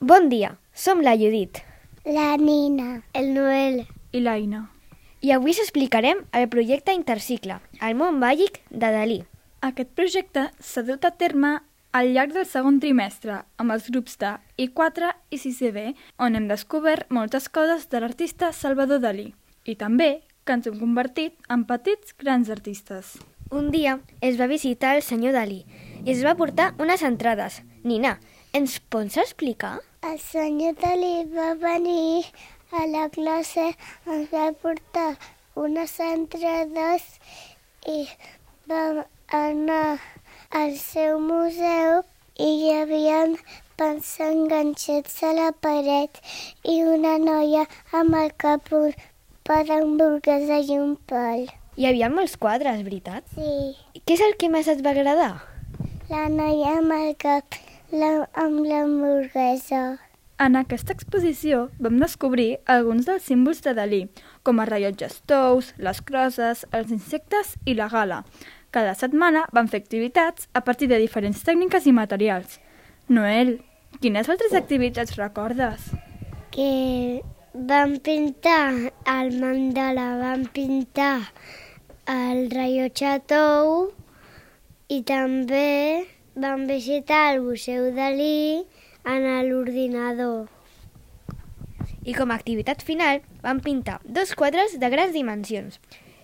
Bon dia, som la Judit, la Nina, el Noel i l'Aina. i avui s'explicarem el projecte Intercicle, el món màgic de Dalí. Aquest projecte s'ha dut a terme al llarg del segon trimestre amb els grups de I4 i 6B, on hem descobert moltes coses de l'artista Salvador Dalí i també que ens hem convertit en petits grans artistes. Un dia es va visitar el senyor Dalí i es va portar unes entrades. Nina, ens pots explicar? el senyor Dalí va venir a la classe, ens va portar unes entrades i vam anar al seu museu i hi havia pans enganxats a la paret i una noia amb el cap un pa d'hamburguesa i un pal. Hi havia molts quadres, veritat? Sí, Què és el que més et va agradar? la noia amb el cap amb l'hamburguesa. En aquesta exposició vam descobrir alguns dels símbols de Dalí, com els rellotges tous, les crosses, els insectes i la gala. Cada setmana vam fer activitats a partir de diferents tècniques i materials. Noel, quines altres activitats recordes? Que vam pintar el mandala, vam pintar el rellotge tou i també vam visitar el Museu Dalí en l'ordinador. I com a activitat final van pintar 2 quadres de grans dimensions.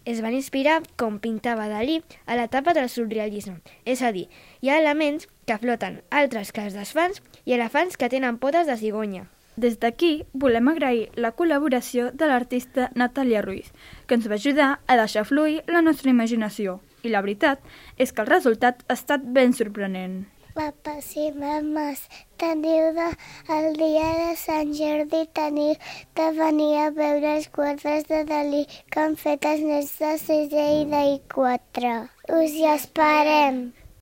Es van inspirar com pintava Dalí a l'etapa del surrealisme, és a dir, hi ha elements que floten, altres que es desfan i elefants que tenen potes de cigonya. Des d'aquí volem agrair la col·laboració de l'artista Natàlia Ruiz, que ens va ajudar a deixar fluir la nostra imaginació. I la veritat és que el resultat ha estat ben sorprenent. Papes i mames, teniu el dia de Sant Jordi teniu de venir a veure els quadres de Dalí que han fet els nens de 6è i de I4. Us hi esperem!